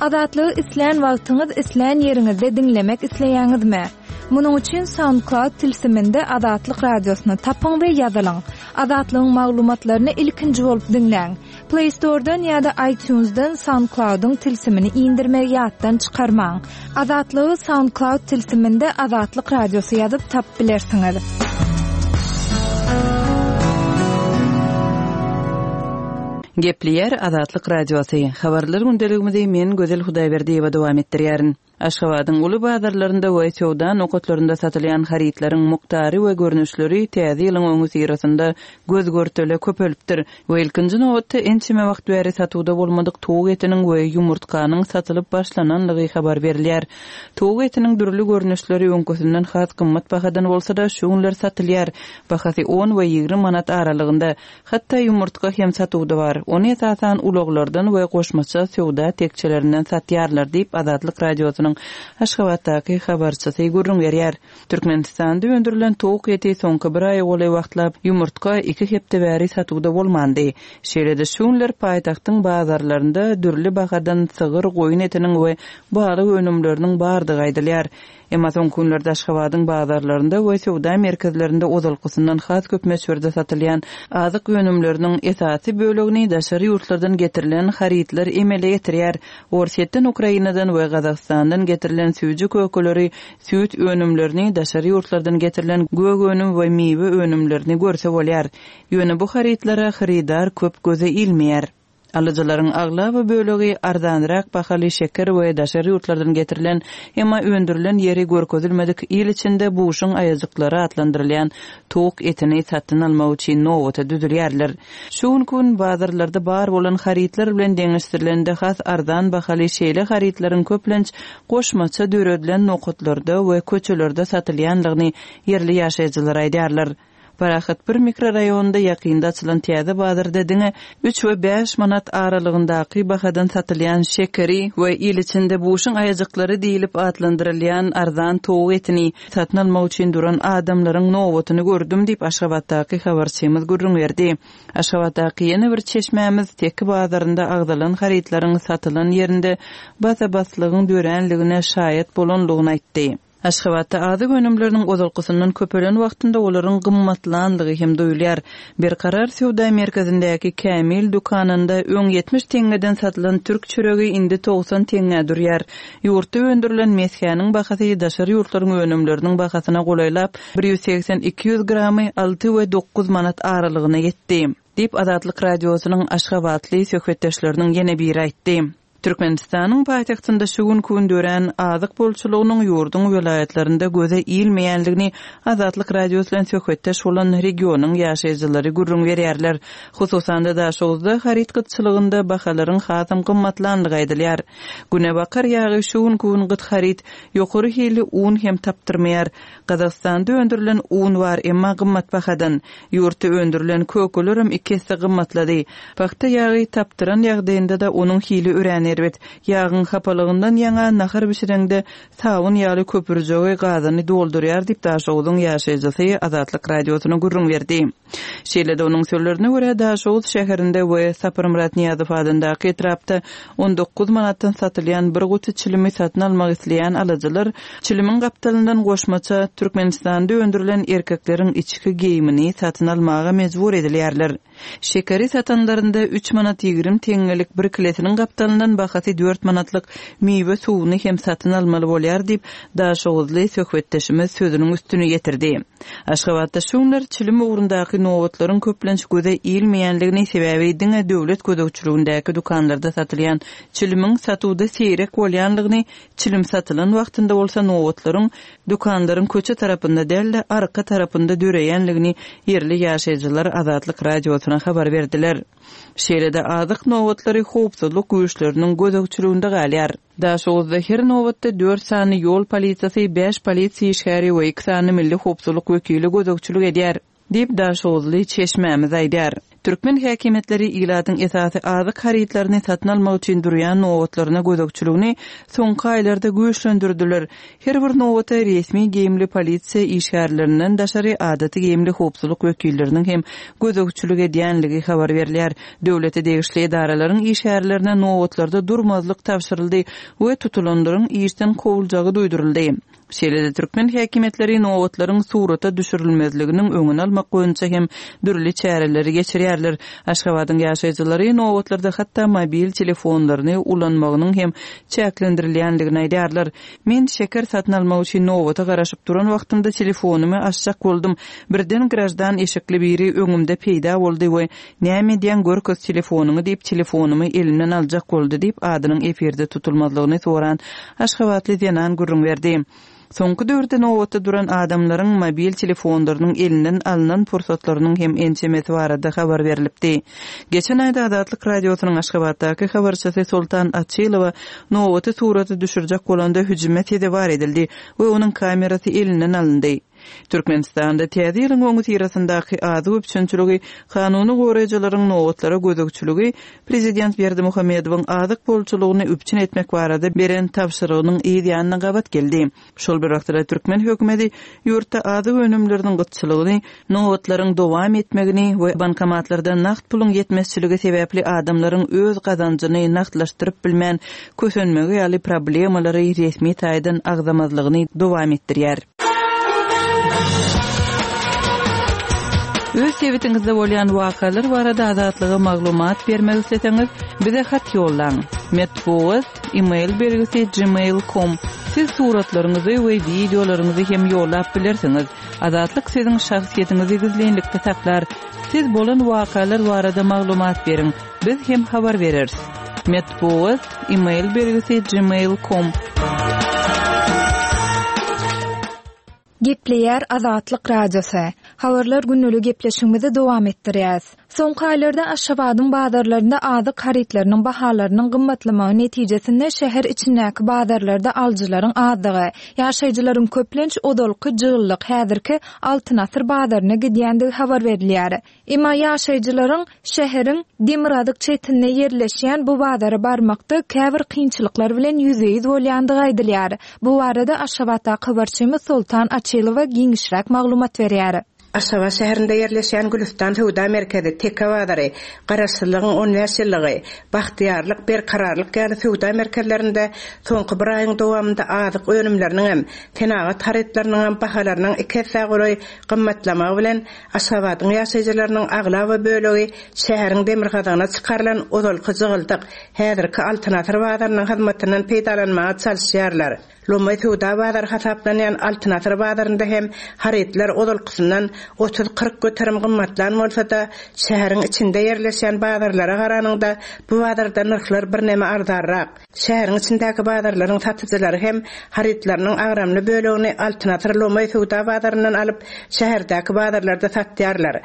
Azatlygy islän wagtyňyz, islän ýeriňizde diňlemek isleýäňizmi? Munuň üçin SoundCloud tilsiminde Azatlyk Radiosyny tapyň we ýazylyň. Azatlygyň maglumatlaryny ilkinji bolup diňläň. Play Store-dan ýa-da iTunes-dan SoundCloud-yň tilsimini indirmegi ýatdan çykarmaň. Azatlygy SoundCloud tilsiminde Azatlyk Radiosy ýazyp tapyp bilersiňiz. Gepleýär Azatlyk Radiosy. Habarlar gündeligimizi men Gözel Hudaýberdiýewa dowam etdirýärin. Aşgabadyň uly bazarlarynda we söwda nokatlarynda satylýan harytlaryň mukdary we görnüşleri Täze ýylyň öňüsyrasynda göz-görtele köpelipdir we ilkinji nobatda ençeme wagt bäri satuwda bolmadyk towuk etiniň we ýumurtganyň satylyp başlananlygy habar berilýär. Towuk etiniň dürli görnüşleri öňküsinden has gymmat bahadan bolsa-da, şu günler satylýar. Bahasy on we 20 manat aralygynda. Hatda ýumurtga hem satuwda bar. Ony esasan ulaglardan we goşmaça söwda tekjelerinden satýarlar diýip, Azatlyk Radiosynyň Aşgabatdaky habarçysy gürrüň berýär. Türkmenistanda öndürilen towuk eti soňky bir aýa golaý wagtlap, ýumurtga iki hepde bäri satuwda bolmandy. Şeýle-de şu günler paýtagtyň bazarlarynda dürli bahadan sygyr, goýun etiniň we balyk önümleriniň bardygy aýdylýar. Emma soňky günlerde Aşgabadyň bazarlarynda we söwda merkezlerinde ozalkysyndan has köp möçberde satylýan azyk önümleriniň esasy bölegini daşary ýurtlardan getirilen harytlar emele getirýär. Orsýetden, Ukrainadan we Gazagystandan getirilen süýji-kökeleri, süýt önümlerini, daşary ýurtlardan getirilen gök önüm we miwe önümlerini görse bolýar. Ýöne bu harytlara hyrydar köp göze ilmeýär. Alyjylaryň aglaba bölegi arzanrak bahaly şeker we daşary ýurtlardan getirilen, emma öndürilen ýeri görkezilmedik il içinde buşuň aýajyklary atlandyrylýan towuk etini satyn almak üçin nobata düzülýärler. Şu günki gün bazarlarda bar bolan harytlar bilen deňeşdirilende has arzan bahaly şeýle harytlaryň köplenç goşmaça döredilen nokatlarda we köçelerde satylýandygyny ýerli ýaşaýjylar aýdýarlar. Parahat bir mikroraýonynda ýakynda açylan täze bazarda diňe üç we bäş manat aralygyndaky bahadan satylýan şekeri we il içinde buşuň aýajyklary diýlip atlandyrylýan arzan towuk etini satyn almak üçin duran adamlaryň nobatyny gördüm diýip, Aşgabatdaky habarçymyz gürrüň berdi. Aşgabatdaky ýene bir çeşmämiz Teki bazarynda agzalan harytlaryň satylan ýerinde basa-baslygyň döränligine şaýat bolanlygyny aýtdy. Aşgabatda azyk önümleriniň ozalkysyndan köpelen wagtynda olaryň gymmatlanlygy hem duýulýar. Berkarar söwda merkezindäki Kämil dükanynda öň 70 teňňeden satylan türk çöregi indi 90 teňňä durýar. Ýurtda öndürilen mesgäniň bahasy daşary ýurtlaryň önümleriniň bahasyna golaýlap, bir 180-200 gramy alty we dokuz manat aralygyna ýetdi. Diýip, Azatlyk Radiosynyň aşgabatly söhbetdeşleriniň ýene biri aýtdy. Türkmenistanyň paýtagtynda şu günki gün dörän azyk bolçulygynyň ýurduň welaýatlarynda göze ilmeýändigini Azatlyk Radiosy bilen söhbetdeş bolan regionyň ýaşaýjylary gürrüň berýärler. Hususan-da, Daşoguzda haryt gytçylygynda bahalaryň hasam gymmatlandygy aýdylýar. Günebakar ýagy şu günki gün gyt haryt, ýokary hilli un hem tapdyrmaýar. Gazagystanda öndürilen un bar, emma gymmat bahadan. Ýurtda öndürilen kökelerem iki esse gymmatlady. Pagta ýagy tapdyran ýagdaýynda-da onuň hili örän erbet. Ýagyň hapalygyndan ýaňa nahar bişireňde sabyn ýaly köpürjegi gazany doldurýar diýip, Daşoguzyň ýaşaýjysy Azatlyk Radiosyna gürrüň berdi. Şeýle-de onuň sözlerine görä, Daşoguz şäherinde we Saparmyrat Nyýazow adyndaky etrapda 19 manatdan satylýan bir guty çilimi satyn almak isleýän alyjylar çilimiň gapdalyndan goşmaça Türkmenistanda öndürilen erkekleriň içki geýimini satyn almaga mejbur edilýärler. Şekeri satanlarynda üç manat 20 teňňelik bir kilesiniň gapdalyndan bahasy dört manatlyk miwe suwuny hem satyn almaly bolýar diýip, daşoguzly söhbetdeşimiz sözüniň üstüni ýetirdi. Aşgabatda şu günler çilim ugrundaky nobatlaryň köplenç göze ilmeýändigini, sebäbi diňe döwlet gözegçiligindäki dükanlarda satylýan çilimiň satuwda seýrek bolýanlygyny, çilim satylan wagtynda bolsa nobatlaryň dükanlaryň köçe tarapynda däl-de, arka tarapynda döreýänligini ýerli ýaşaýjylar Azatlyk Radiosyna habar berdiler. Şeýle-de azyk nobatlary howpsuzlyk güýçleriniň gözegçiliginde galýar. Daşoguzda her nobatda dört sany ýol polisiýasy, bäş polisiýa işgäri we iki sany milli howpsuzlyk wekili gözegçilik edýär, diýip, daşoguzly çeşmämiz aýdýar. Türkmen häkimiýetleri ilatyň esasy azyk harytlaryny satyn almak üçin durýan nobatlaryna gözegçiligini soňky aýlarda güýçlendirdiler. Her bir nobata resmi geýimli polisiýa işgärlerinden daşary adaty geýimli howpsuzlyk wekilleriniň hem gözegçilik edýänligi habar berilýär. Döwlete degişli edaralaryň işgärlerine nobatlarda durmazlyk tabşyryldy we tutulanlaryň işden kowuljagy duýduryldy. Şeýle-de türkmen häkimiýetleri nobatlaryň surata düşürilmezliginiň öňüni almak boýunça hem dürli çäreleri geçirýärler. Aşgabadyň ýaşaýjylary nobatlarda hatda mobil telefonlaryny ulanmagynyň hem çäklendirilýändigini aýdýarlar. Men şeker satyn almak üçin nobata garaşyp duran wagtymda telefonymy açjak boldum. Birden graždan eşikli biri öňümde peýda boldy we Näme edýäň görkez telefonyňy diýip telefonymy elimden aljak boldy diýip adynyň efirde tutulmazlygyny soran aşgabatly zenan gürrüň berdi. Soňky döwürde nobatda duran adamlaryň mobil telefonlarynyň elinden alnan pursatlarynyň hem ençemesi barada habar berlipdi. Geçen aýda Azatlyk Radiosynyň Aşgabatdaky habarçysy Soltan Açylowa nobaty surata düşürjek bolanda hüjüme sezewar edildi we onuň kamerasy elinden alyndy. Türkmenistanda Täze ýylyň öňüsyrasyndaky azyk üpjünçiligi, kanuny goraýjylaryň nobatlara gözegçiligi prezident Berdimuhamedowyň azyk bolçulygyny üpjün etmek barada beren tabşyrygynyň yz ýanyna gabat geldi. Şol bir wagtda-da türkmen hökümeti ýurtda azyk önümleriniň gytçylygyny, nobatlaryň dowam etmegini we bankomatlarda nagt puluň ýetmezçiligi sebäpli adamlaryň öz gazanjyny nagtlaşdyryp bilmän kösenmegi ýaly problemalary resmi taýdan agzamazlygyny dowam etdirýär. Öz sebitiňizde bolýan wakalar barada Azatlyga maglumat bermek isleseňiz, bize hat ýollaň. Metbugat, e-mail belgisi gmail com. Siz suratlaryňyzy we wideolaryňyzy hem ýollap bilersiňiz. Azatlyk siziň şahsyýetiňizi gizlinlikde saklar. Siz bolan wakalar barada maglumat beriň, biz hem habar bereris. Metbugat, e-mail belgisi gmail com. Gepleýär Azatlyk Radiosy. Habarlar gündelik gepleşigimizi dowam etdirýäs. Soňky aýlarda Aşgabadyň bazarlarynda azyk harytlarynyň bahalarynyň gymmatlamagy netijesinde şäher içindäki bazarlarda alyjylaryň azdygy, ýaşaýjylaryň köplenç ozalky jygyllyk häzirki Altyn asyr bazaryna gidýändigi habar berilýär. Emma ýaşaýjylaryň şäheriň demirgazyk çetinde ýerleşýän bu bazara barmakda käbir kynçylyklar bilen ýüzbe-ýüz bolýandygy aýdylýar. Bu barada Aşgabatdaky habarçymyz Soltan Açylowa giňişräk maglumat berýär. Aşgabat şäherinde ýerleşýän Gülüstan söwda merkezi, Teke bazary, Garaşsyzlygyň 15 ýyllygy, Bagtyýarlyk, Berkararlyk ýaly söwda merkezlerinde soňky bir aýyň dowamynda azyk önümleriniňem, senagat harytlarynyňam bahalarynyň iki essä golaý gymmatlamagy bilen Aşgabadyň ýaşaýjylarynyň aglaba bölegi şäheriň demirgazygyna çykarylan ozalky jygyldyk, häzirki Altyn asyr bazarynyň hyzmatyndan peýdalanmaga çalyşýarlar. Lomaý söwda bazary hasaplanýan Altyn asyr bazarynda hem harytlar ozalkysyndan 30-40 göterim gymmatlan bolsa-da, şäheriň içinde ýerleşýän bazarlara garanyňda bu bazarda nyrhlar birneme arzanrak. Şäheriň içindäki bazarlaryň satyjylary hem harytlarynyň agramly bölegini Altyn asyr lomaý söwda bazaryndan alyp, şäherdäki bazarlarda satýarlar.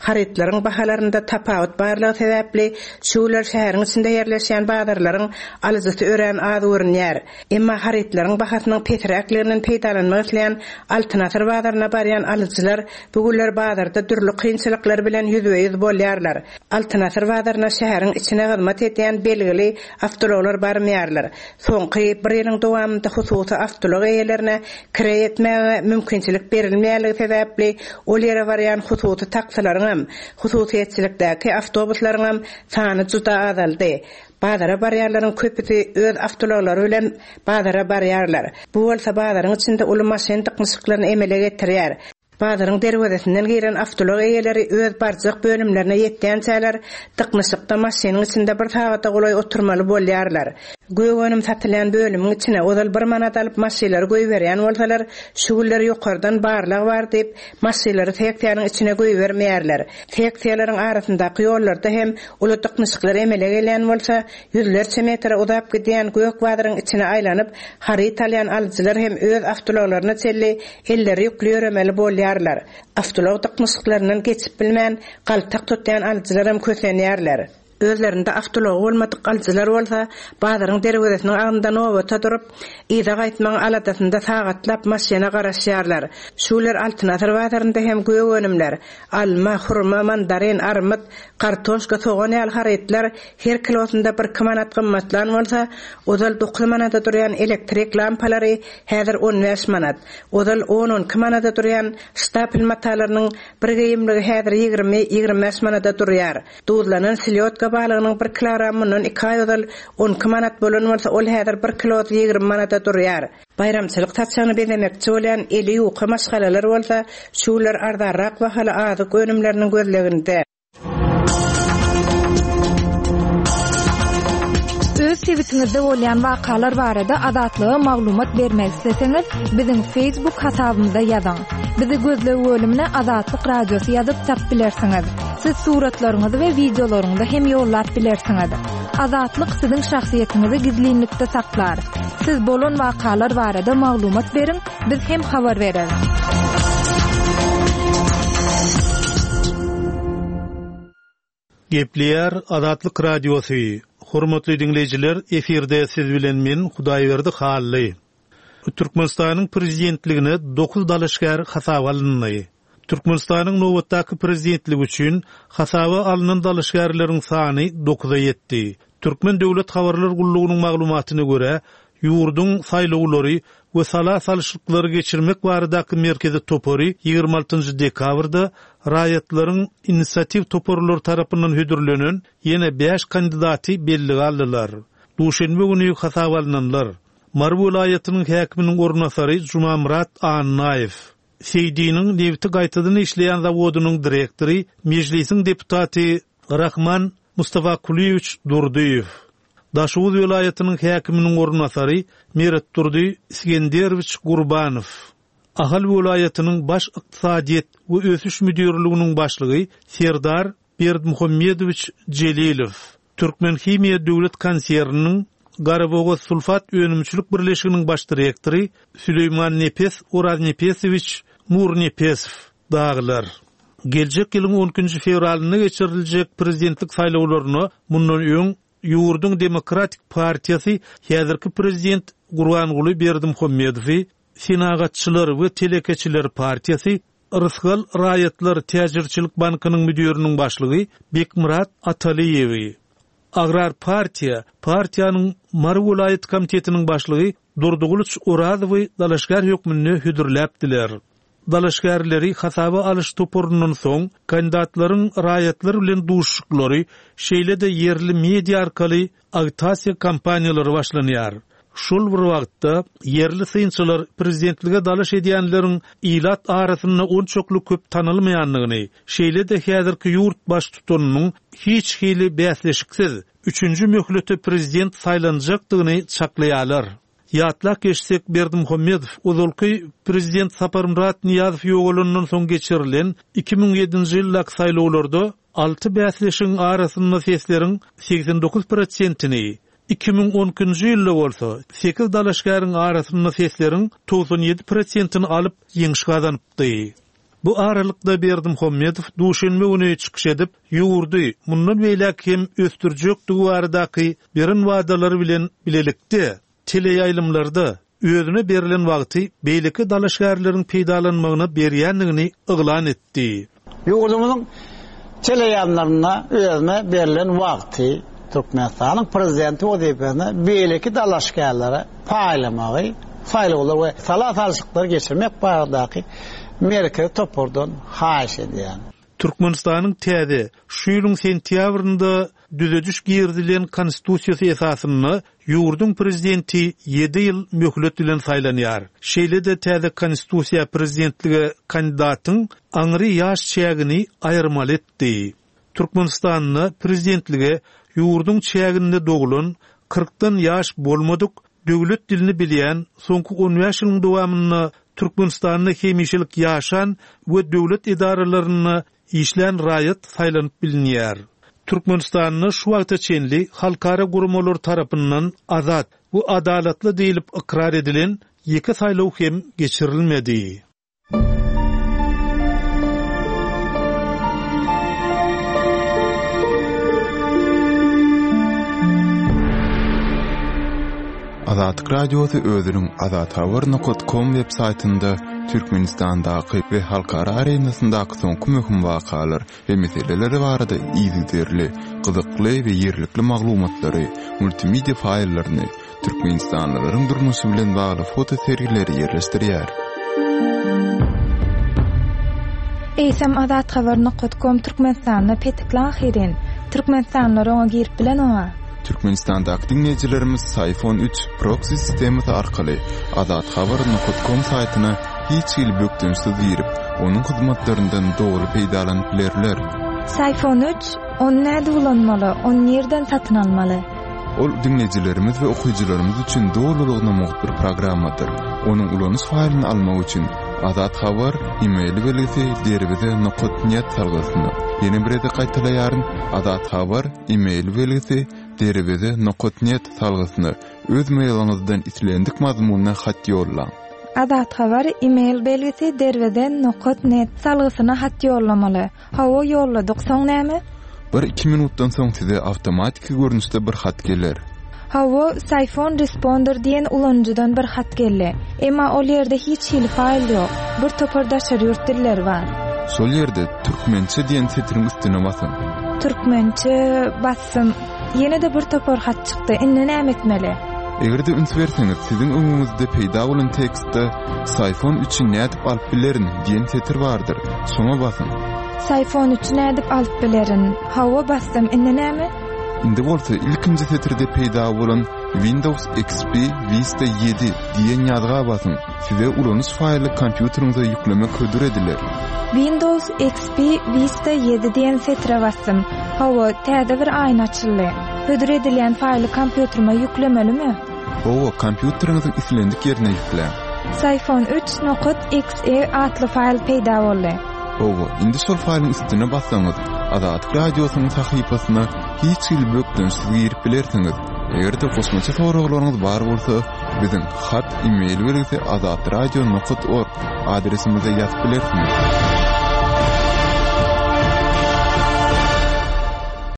Harytlaryň bahalarynda tapawut barlygy sebäpli, şu günler şäheriň içinde ýerleşýän bazarlaryň alyjysy örän az görünýär. Emma harytlaryň bahasynyň pesräkliginden peýdalanmak isleýän Altyn asyr bazaryna barýan alyjylar bu günler bazarda dürli kynçylyklar bilen ýüzbe-ýüz bolýarlar. Altyn asyr bazaryna şäheriň içine hyzmat edýän belgili awtoulaglar barmaýarlar. Soňky bir ýylyň dowamynda hususy awtoulag eýelerine kireý etmäge mümkinçilik berilmeýänligi sebäpli ol ýere barýan hususy taksylaryňam, hususyýetçilikdäki awtobuslaryňam sany juda azaldy. Bazara barýanlaryň köpüsi öz awtoulaglary bilen bazara barýarlar. Bu bolsa bazaryň içinde uly maşyn dyknyşyklaryny emele getirýär. Bazaryň derwezesinden giren awtoulag eýeleri öz barjak bölümlerine ýetýänçäler, dyknyşykda maşynyň içinde bir sagada golaý oturmaly bolýarlar. Gök önüm satylýan bölümiň içine ozal bir manat alyp maşylary goýberýän bolsalar, şu günler ýokardan barlag bar diýip, maşylary seksiýanyň içine goýbermeýärler. Seksiýalaryň arasyndaky ýollarda hem uly dyknyşyklar emele gelýän bolsa, Ýüzlerçe metre uzap gidýän gök bazaryň içine aýlanyp, haryt alýan alyjylar hem öz awtoulaglaryna çenli elleri ýükli ýöremeli bolýarlar. Awtoulag dyknyşyklaryndan geçip bilmän, galtak tutýan alyjylaram kösenýärler. Özlerinde awtoulagy bolmadyk alyjylar bolsa, bazaryň derwezesiniň agzynda nobata durup, yza gaýtmagyň aladasynda sagatlap maşyna garaşýarlar. Şu günler Altyn asyr bazarynda hem gök önümler, alma, hurma, mandarin, armyt, kartoşka, sogan ýaly harytlar her kilosynda birki manat gymmatlan bolsa, ozal dokuz manada durýan elektrik lampalary häzir on bäş manat, ozal on-on iki manada durýan ştapel matalarynyň bir geýimligi häzir ýigrimi, 25 manada durýar. Duzlanan selýodka balygynyň bir kilogramy mundan iki aý ozal on iki manat bolan bolsa, ol häzir bir kilosy ýigrimi manada durýar. Baýramçylyk saçagyny bezemekçi bolýan eli ýuka maşgalalar bolsa, şu günler arzanrak bahaly azyk önümleriniň gözleginde. Öz sebitiňizde bolýan wakalar barada Azatlyga maglumat bermek isleseňiz, biziň Facebook hasabymyza ýazyň. Bizi gözleg bölümine Azatlyk Radiosy ýazyp tapyp bilersiňiz. Siz suratlaryňyzy we wideolaryňyzy hem ýollap bilersiňiz. Azatlyk siziň şahsyýetiňizi gizlinlikde saklar. Siz bolan wakalar barada maglumat beriň, biz hem habar bereris. Gepleýär Azatlyk Radiosy, Hormatly diňleýjiler, efirde siz bilen men Hudaýberdi Hally. Türkmenistanyň prezidentligine dokuz dalaşgär hasaba alyndy. Türkmenistanyň nobatdaky prezidentligi üçin hasaba alnan dalaşgärleriň sany dokuza ýetdi. Türkmen döwlet habarlar gullugynyň maglumatyna görä, ýurduň saýlawlary we sala salyşlyklary geçirmek baradaky merkezi topary 26 dekabrda raýatlaryň inisiatiw toparlary tarapyndan hödürlenen ýene bäş kandidaty bellige aldylar. Duşenbe güni hasaba alnanlar, Mary welaýatynyň häkiminiň orunbasary Jumamyrat Annaýew, Seýdiniň nebiti gaýtadan işleýän zawodynyň direktory, Mejlisiň deputaty Rahman Mustafakulyýewiç Durdyýew, Daşoguz welaýatynyň häkiminiň orunbasary Meretdurdy Isgenderowiç Gurbanow, Ahal welaýatynyň Baş ykdysadyýet we ösüş müdirliginiň başlygy Serdar Berdimuhamedowiç Jelilow, Türkmenhimiýa döwlet konserniniň Garabogazsulfat önümçilik birleşiginiň baş direktory Süleýmannepes Oraznepesowiç Nurnepesow dagylar. Geljek ýylyň on ikinji fewralynda geçiriljek prezidentlik saýlawlaryna mundan öň ýurduň Demokratik partiýasy häzirki prezident Gurbanguly Berdimuhamedowy, Senagatçylar we telekeçiler partiýasy Rysgal raýatlar täjirçilik bankynyň müdiriniň başlygy Bekmyrat Atalyýewi, Agrar partiýa partiýanyň Mary welaýat komitetiniň başlygy Durdygylyç Orazowy dalaşgär hökmünde hödürläpdiler. Dalaşgärleri hasaba alyş toparyndan soň kandidatlaryň raýatlar bilen duşuşyklary, şeýle-de ýerli media arkaly agitasiýa kampaniýalary başlanýar. Şol bir wagtda, ýerli synçylar prezidentlige dalaş edýänleriň ilat arasynda onçakly köp tanalmaýandygyny, şeýle-de häzirki ýurt baştutanynyň hiç hili bäsleşiksiz, üçünji möhlete prezident saýlanjakdygyny çaklaýarlar. Ýatlap geçsek, Berdimuhamedow ozalky prezident Saparmyrat Nyýazow ýogalandan soň geçirilen 2007-nji ýyldaky saýlawlarda alty bäsleşigiň arasynda sesleriň 89 prosentini, 2012-nji ýylda bolsa sekiz dalaşgäriň arasynda sesleriň 97 prosentini alyp, ýeňiş gazanypdy. Bu aralykda Berdimuhamedow duşenbe güni çykyş edip, ýurdy mundan beýläk hem ösdürjekdigi baradaky beren wadalary bilen bilelikde, teleýaýlymlarda özüne berlen wagty beýleki dalaşgärleriň peýdalanmagyna berýändigini yglan etdi. Ýurdumyzyň teleýaýlymlarynda özüne berlen wagty Türkmenistanyň Prezidenti wezipesine beýleki dalaşgärlere paýlamagy saýlawlar we sala salşyklary geçirmek baradaky Merkezi topardan haýyş edýän. Türkmenistanyň täze, şu ýylyň sentýabrynda düzediş girizilen Konstitusiýasy esasynda ýurduň Prezidenti ýedi ýyl möhlet bilen saýlanýar. Şeýle-de täze Konstitusiýa prezidentlige kandidatyň aňry ýaş çägini aýyrmaly etdi. Türkmenistanda prezidentlige ýurduň çäginde doglan, kyrkdan ýaş bolmadyk, döwlet dilini bilýän, soňky on bäş ýylyň dowamynda Türkmenistanda hemişelik ýaşan we döwlet edaralarynda işlän raýat saýlanyp bilinýär. Türkmenistanda şu wagta çenli halkara guramalar tarapyndan azat we adalatly diýlip ykrar edilen ýeke saýlaw hem geçirilmedi. Azatlyk Radiosy özüniň azathabar nokat kom web saýtynda Türkmenistandaky we halkara arenasyndaky soňky möhüm wakalar we meseleler barada yzygiderli, gyzykly we ýerlikli maglumatlary, multimedia faýllaryny, türkmenistanlylaryň durmuşy bilen bagly foto sergileri ýerleşdirýär. Eýsem azathabar nokat kom Türkmenistanda petikli ahyryn. Türkmenistanlylar oňa girip bilenoga. Türkmenistandaky diňleýjilerimiz Syfon üç proksi sistemasy arkaly azathabar nokat kom saýtyna hiç hili bökdençsiz girip, onuň hyzmatlaryndan doly peýdalanyp bilerler. Syfon üç, ony nädip ulanmaly, ony nirden satyn almaly? Ol diňleýjilerimiz we okyjylarymyz üçin dolulygyna mugt bir programmadyr. Onuň ulanyş faýlyny almak üçin Azat Habar e-mail belgisi derweze nokat net salgysyna, ýene bir gezek gaýtalaýaryn, Azat Habar e-mail belgisi derweze nokat net salgysyna öz mailiňizden islendik mazmunda hat ýollaň. Azat Habar e-mail belgisi derweze nokat net salgysyna hat ýollamaly. Hawa ýolladyk, soň näme? Bir-iki minutdan soň size awtomatiki görnüşde bir hat geler. Hawa, Syphon Responder diýen ulanyjydan bir hat geldi. Emma ol ýerde hiç hili faýl ýok. Bir topar daşary ýurt dilleri bar. Şol ýerde Türkmençe diýen setiriň üstüne basyň. Türkmençe basdym. Ýene-de bir topar hat çykdy. Indi näme etmeli? Eger-de üns berseňiz, siziň öňüňizde peýda bolan tekstde Syphon üçi nädip alyp bilerin diýen setir bardyr. Şoňa basyň. Syphon üçi nädip alyp bilerin? Hawa, basdym. Indi näme? Indi bolsa ilkinji setirde peýda bolan Windows XP Vista ýedi diýen ýazga basyň. Size ulanyş faýly kompýuteriňize ýüklemek hödür ediler. Windows XP Vista ýedi diýen setire basdym. Hawa, täze bir aýna açyldy. Hödür edilýän faýly kompýuterime ýüklemelimi? Hawa, kompýuteriňiziň islendik ýerine ýükläň. Syphon üç nokat exe atly faýl peýda boldy. Hawa, indi şol faýlyň üstüne bassaňyz, Azatlyk Radiosynyň sahypasyna hiç hili bökdençsiz girip bilersiňiz. Eger-de goşmaça soraglaryňyz bar bolsa, biziň hat e-mail belgisi azatradio nokat org adresimize ýazyp bilersiňiz.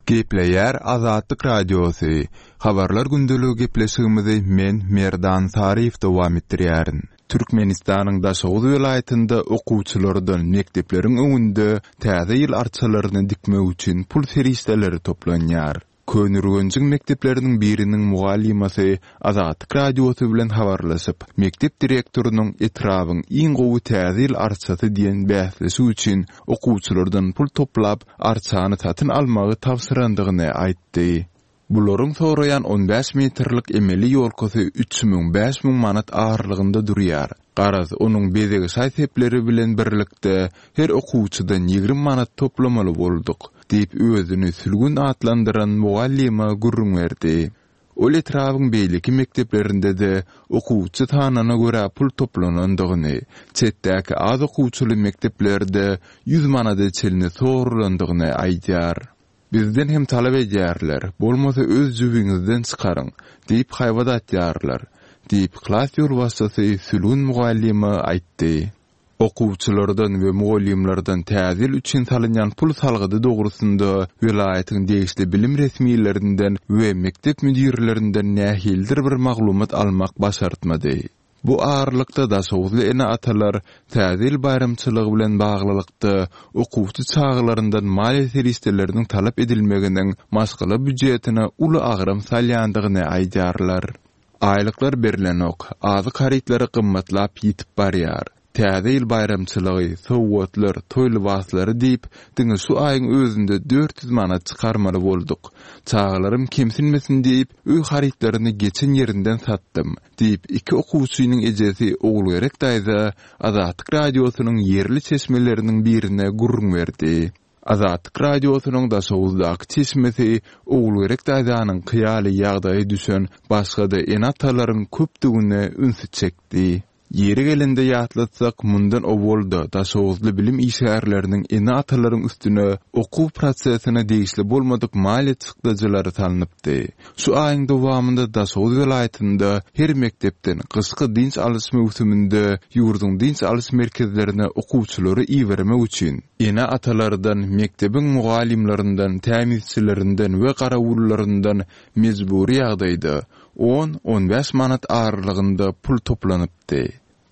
Gepleýär Azatlyk Radiosy, Habarlar gündeligi gepleşigimizi men, Merdan Saryýew dowam etdirýärin. Türkmenistanyň Daşoguz welaýatynda okuwçylardan mekdepleriň öňünde Täze ýyl arçalaryny dikmek üçin pul serişdeleri toplanýar. Köneürgenjiň mekdepleriniň biriniň mugallymasy Azatlyk Radiosy bilen habarlaşyp, mekdep direktorynyň etrabyň iň gowy Täze ýyl arçasy diýen bäsleşik üçin okuwçylardan pul toplap, arçany satyn almagy tabşyrandygyny aýtdy. Bularyň soraýan on bäş metrlik emeli ýolkasy üç müň, 5000 manat aralygynda durýar. Garaz, onuň bezeg şaý-sepleri bilen birlikde her okuwçydan ýigrimi manat toplamaly bolduk, diýip, özüni Sülgün atlandyran mugallyma gürrüň berdi. Ol etrabyň beýleki mekdeplerinde-de okuwçy sanyna görä pul toplanandygyny, çetdäki az okuwçyly mekdeplerde ýüz manada çenli sorulandygyny aýdýar. Bizden hem talap edýärler, bolmasa öz jübiňizden çykaryň, diýip haýbat atýarlar, diýip, klas ýolbaşçysy Sülgün mugallyma aýtdy. Okuwçylardan we mugallymlardan Täze ýyl üçin salynýan pul salgydy dogrusynda welaýatyň degişli bilim resmilerinden we mekdep müdirlerinden nähilidir bir maglumat almak başartmady. Bu aralykda daşoguzly ene-atalar Täze ýyl baýramçylygy bilen baglylykda okuwçy çagalaryndan maliýe serişdeleriniň talap edilmeginiň maşgala býujetine uly agram salýandygyny aýdýarlar. Aýlyklar berlenok, azyk harytlary gymmatlap ýitip barýar. Täze ýyl baýramçylygy, sowgatlar, toý lybaslary diýip, diňe şu aýyň özünde 400 manat çykarmaly bolduk. Çagalarym kemsinmesin diýip, öý harytlaryny geçen ýerinden satdym, diýip, iki okuwçynyň ejesi Ogulgerek daýza Azatlyk Radiosynyň ýerli çeşmeleriniň birine gürrüň berdi. Azatlyk Radiosynyň Daşoguzdaky çeşmesi Ogulgerek daýzanyňky ýaly ýagdaýa düşen başga-da ene-atalaryň köpdügine ünsi çekdi. Ýeri gelende ýatlatsak, mundan owal-da daşoguzly bilim işgärleriniň ene-atalaryň üstüne okuw prosesine degişli bolmadyk maliýe çykdajylary salnypdy. Şu aýyň dowamynda Daşoguz welaýatynda her mekdepden gyşky dynç alyş möwsüminde ýurduň dynç alyş merkezlerine okuwçylary ibermek üçin, ene-atalardan, mekdebiň mugallymlaryndan, tämizçilerinden we garawullaryndan mejbury ýagdaýda. On-on bäş manat aralygynda pul toplanypdy.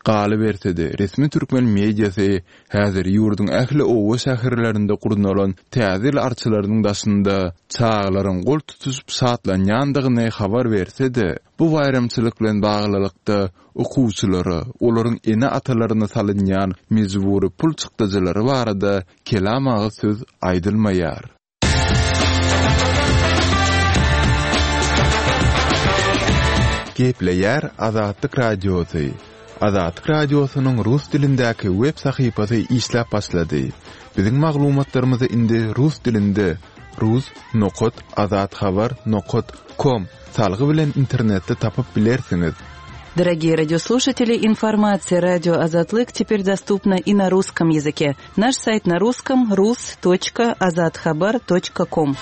Galyberse-de, resmi türkmen mediasy häzir ýurduň ähli oba-şäherlerinde gurnalan Täze ýyl arçalarynyň daşynda çagalaryň gol tutuşyp şatlanýandygyny habar berse-de, bu baýramçylyk bilen baglylykda okuwçylara, olaryň ene-atalaryna salynýan mejbury pul çykdajylary barada kelam agyz söz aýdylmaýar. Gepleýär Azatlyk Radiosy. Azatlyk Radiosynyň rus dilindäki web sahypasy işläp başlady. Biziň maglumatlarymyzy indi rus dilinde rus nokat azathabar nokat kom salgy bilen internetde tapyp bilersiňiz. Дорогие радиослушатели, информация радио Азатлык теперь доступна и на русском языке. Наш сайт на русском rus.azathabar.com.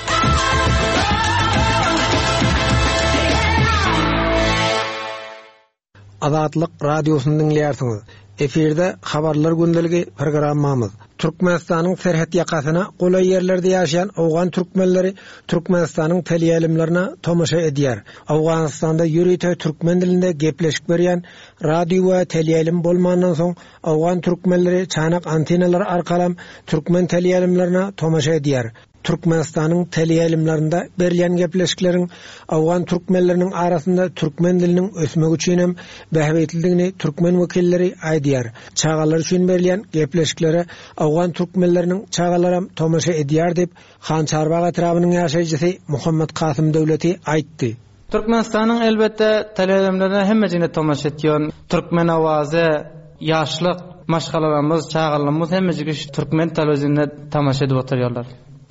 Azatlyk Radiosyny diňleýärsiňiz. Efirde Habarlar gündeligi programmamyz. Türkmenistanyň serhet ýakasyna golaý ýerlerde ýaşaýan owgan türkmenleri Türkmenistanyň teleýaýlymlaryna tomaşa edýär. Owganystanda ýörite türkmen dilinde gepleşik berýän radio we teleýaýlym bolmandan soň Owgan türkmenleri çanak antenalary arkalam türkmen teleýaýlymlaryna tomaşa edýär. Türkmenistanyň teleýaýlymlarynda berilýän gepleşikleriň owgan türkmenleriniň arasynda türkmen diliniň ösmegi üçinem bähbitlidigini türkmen wekilleri aýdýar. Çagalar üçin berilýän gepleşiklere owgan türkmenleriniň çagalaram tomaşa edýär diýip, Hançarbag etrabynyň ýaşaýjysy Muhammet Kasym Döwleti aýtdy. Türkmenistanyň elbetde teleýaýlymlaryna hemmejigine tomaşa etýän. Türkmen owazy, Ýaşlyk, maşgalalarymyz, çagalarymyz hemmejigi şu türkmen telewizionuna tomaşa edip oturýarlar.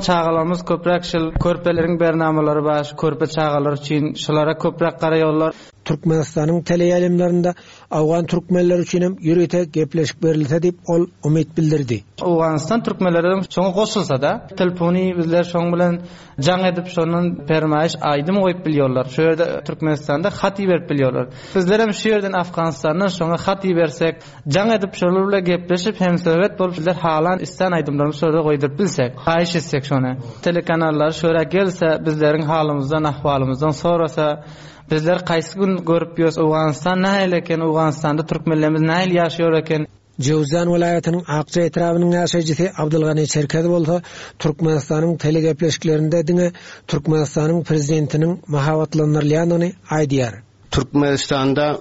Çagalarymyz köpräk şul körpeleriň bernamalary bar, şu körpe çagalar üçin şulara köpräk garaýarlar. Türkmenistanyň teleýaýlymlarynda owgan türkmenleri üçinem ýörite gepleşik berilse diýip ol umyt bildirdi. Owganystan türkmenlerem şoňa goşulsada, telefony bizler şoň bilen Jaň edip şondan permaýyş aýdym goýup bilýorlar. Şu ýerde Türkmenistanda hat iberip bilýorlar. Bizlerem şu ýerden Afganistandan şoňa hat ibersek, jaň edip şolar bilen gepleşip hemsöhbet bolup bizler halan islän aýdymlarymyzy şolara goýduryp bilsek. Haýyş etsek şony. Telekanallar şöra gelse bizleriň halymyzdan ahwalymyzdan sorasa bizler kaýsy gün görüp ýös Owganystan nähili eken Owganystanda türkmenlerimiz nähili ýaşaýor eken. Jöwüzjan welaýatynyň Akja etrabynyň ýaşaýjysy Abdylgany Çerkez bolsa Türkmenistanyň telegepleşiklerinde diňe Türkmenistanyň prezidentiniň mahabatlandyrylýandygyny aýdýar. Türkmenistanda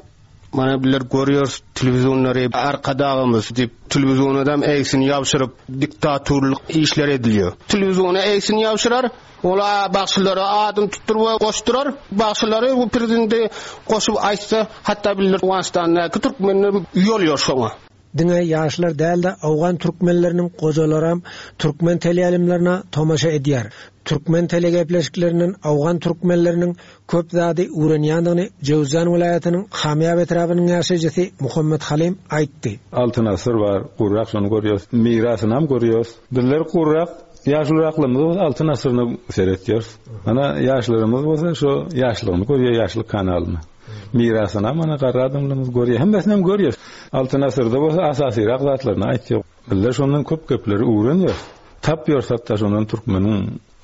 mana bizler görýäris telewizionlary Arkadagymyz diýip telewizionadam egsini ýabşyryp diktaturlyk işler edilýär. Telewiziona egsini ýabşyrar, ol bagşylara adyny tutduryp we goşdurar. Bagşylary bu prezidenti goşup aýtsa, hatda bizler Owganystandaky türkmenler uýalýar şoňa. Diňe ýaşlar däl-de, owgan türkmenleriniň gojalaram türkmen teleýaýlymlaryna tomaşa edýär. Türkmen telegepleşiklerinden owgan türkmenleriniň köp zady öwrenýändigini Jöwüzjan welaýatynyň Hamýap etrabynyň ýaşaýjysy Muhammet Halym aýtdy. Altyn asyr bar, gurrak şony görýäs. Mirasynam görýäs. Bizler gurrak Ýaşuluraklarymyz bolsa Altyn asyryna seretýäris. Ana ýaşlarymyz bolsa şo ýaşlygyny görýär, ýaşlyk kanalyny. Mirasyny mana garry adamlarymyz görýär. Hemmesini hem görýär. Altyn asyrda bolsa asasyrak zatlaryny aýtýar. Bizler şondan köp gepleri öwrenýäris. Tapýarys hatda şondan türkmeniň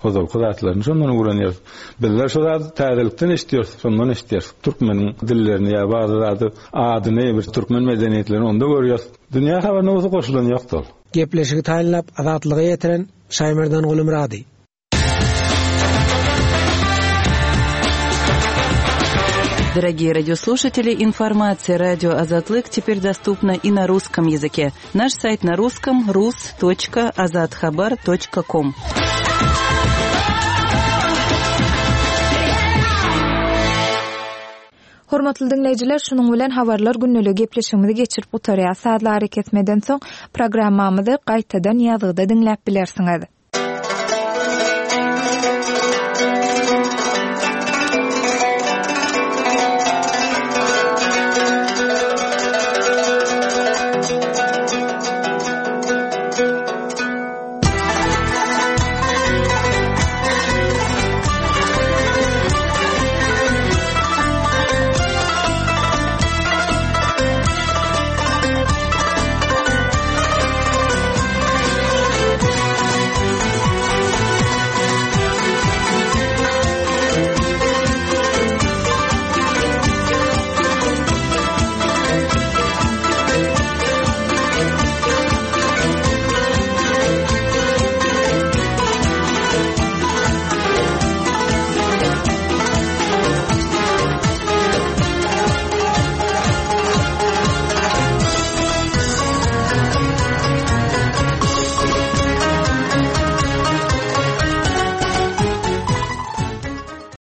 ozalky zatlaryny şondan öwrenýäris. Bizler şo zady täzelikden eşidýäris, şondan eşidýäris. Türkmeniň dillerini ýa bady zady adyny bir türkmen medeniýetlerini onda görýäris. Dünýä habaryna bolsa goşulan ýokdy ol. Gepleşigi taýynlap Azatlyga ýetiren Şaýmerdan Gulumyrady. Дорогие радиослушатели, информация радио Азатлык теперь доступна и на русском языке. Наш сайт на русском rus.azathabar.com. Hormatly diňleýjiler, şunuň bilen Habarlar gündeligi gepleşigimizi geçirip gutarýas. Sazly arakesmeden soň programmamyzy gaýtadan ýazgyda diňläp bilersiňiz.